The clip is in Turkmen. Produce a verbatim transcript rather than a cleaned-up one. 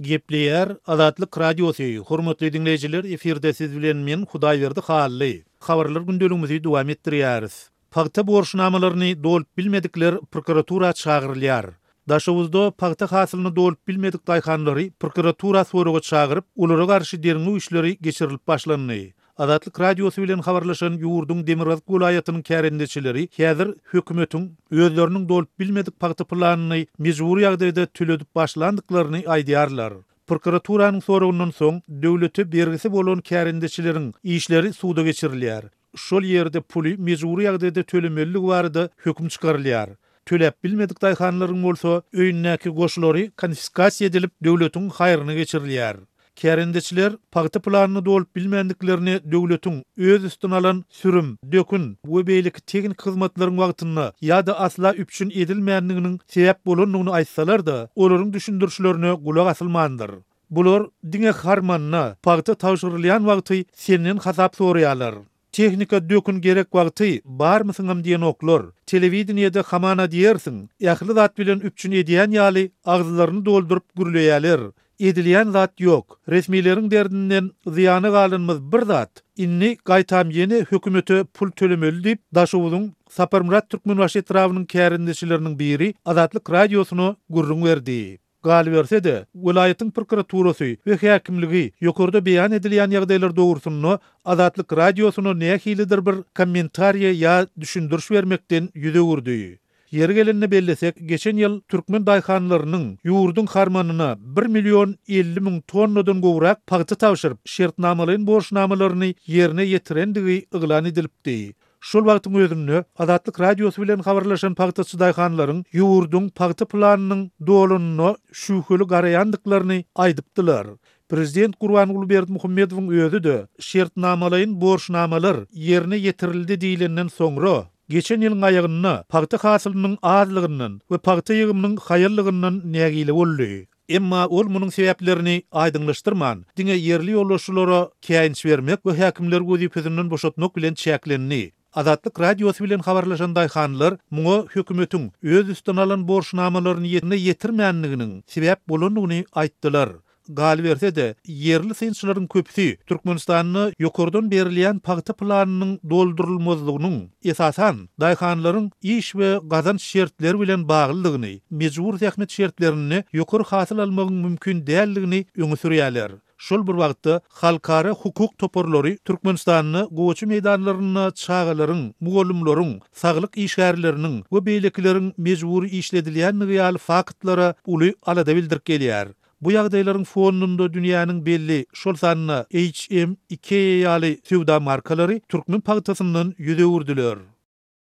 Gepleýär Azatlyk Radiosy, Hormatly diňleýjiler, efirde siz bilen men Hudaýberdi Hally. Habarlar gündeligimizi dowam etdirýäris. Pagta borçnamalaryny dolup bilmedikler prokuratura çagyrylýar. Daşoguzda pagta hasylyny dolup bilmedik daýhanlary prokuratura soraga çagyryp, olara garşy derňew işleri geçirilip başlandy. Azatlyk Radiosy bilen habarlaşan ýurduň Demirgazyk welaýatynyň kärendeçileri häzir hökümetiň özleriniň dolup bilmedik pagta planyny mejbury ýagdaýda töledip başlandyklaryny aýdýarlar. Prokuraturanyň soragyndan soň döwlete bergisi bolan kärendeçileriň işleri suda geçirilýär. Şol ýerde puly mejbury ýagdaýda tölemeliligi barada höküm çykarylýar. Töläp bilmedik daýhanlaryň bolsa öýündäki goşlary konfiskasiýa edilip döwletiň haýryna geçirilýär. Kärendeçiler pagta planyny dolup bilmändiklerini döwletiň öz üstüne alan sürüm, dökün we beýleki teknik hyzmatlaryň wagtynda ýa-da asla üpjün edilmändiginiň sebäp bolandygyny aýtsalar-da, olaryň düşündirişlerine gulak asylmandyr. Bular diňe harmanda pagta tabşyrylýan wagty senden hasap soraýarlar. Tehnika dökün gerek wagty barmysyňam diýenoklar. Telewideniýede hamana diýersiň, ähli zat bilen üpjün edýän ýaly agzlaryny dolduryp gürleýärler. Edilýän zat ýok. Resmileriň derdinden zyýana galanymyz bir zat. Indi gaýtam ýene hökümete pul tölemeli diýip, Daşoguzyň Saparmyrat Türkmenbaşy etrabynyň kärendeçileriniň biri Azatlyk Radiosyna gürrüň berdi. Galyberse-de, welaýatyň prokuraturasy we häkimligi ýokarda beýan edilýän ýagdaýlar dogrusynda Azatlyk Radiosyna nähilidir bir kommentariýa ýa düşündiriş bermekden ýüz öwürdi. Ýeri gelende bellesek, geçen ýyl türkmen daýhanlarynyň ýurduň harmanyna bir million elli müň tonnadan gowrak pagta tabşyryp, şertnamalaýyn borçnamalaryny ýerine ýetirendigi yglan edilipdi. Şol wagtyň özünde Azatlyk Radiosy bilen habarlaşan pagtaçy daýhanlaryň ýurduň pagta planynyň dolanyna şübheli garaýandyklaryny aýdypdylar. Prezident Gurbanguly Berdimuhamedowyň özi-de şertnamalaýyn borçnamalar ýerine ýetirildi diýlenden soňra geçen ýylyň aýagynda pagta hasylynyň azlygyndan we pagta ýygymynyň haýallygyndan nägile boldy. Emma ol munuň sebäplerini aýdyňlaşdyrman, diňe ýerli ýolbaşçylara käýinç bermek we häkimleri wezipesinden boşatmak bilen çäklendi. Azatlyk Radiosy bilen habarlaşan daýhanlar muňa hökümetiň öz üstüne alan borçnamalaryny ýerine ýetirmändiginiň sebäp bolandygyny aýtdylar. Galyberse-de, ýerli synçylaryň köpüsi Türkmenistanda ýokardan berilýän pagta planynyň doldurylmazlygynyň esasan daýhanlaryň iş we gazanç şertleri bilen baglydygyny, mejbur zähmet şertlerinde ýokary hasyl almagyň mümkin däldigini öňe sürýärler. Şol bir wagtda halkara hukuk toparlary Türkmenistanda gowaça meýdanlarynda çagalaryň, mugallymlaryň, saglyk işgärleriniň we beýlekileriň mejbury işledilýändigi ýaly faktlara uly alada bildirip gelýär. Bu ýagdaýlaryň fonunda dünýäniň belli, şol sanda H M, Ikea ýaly söwda markalary türkmen pagtasyndan ýüz öwürdiler.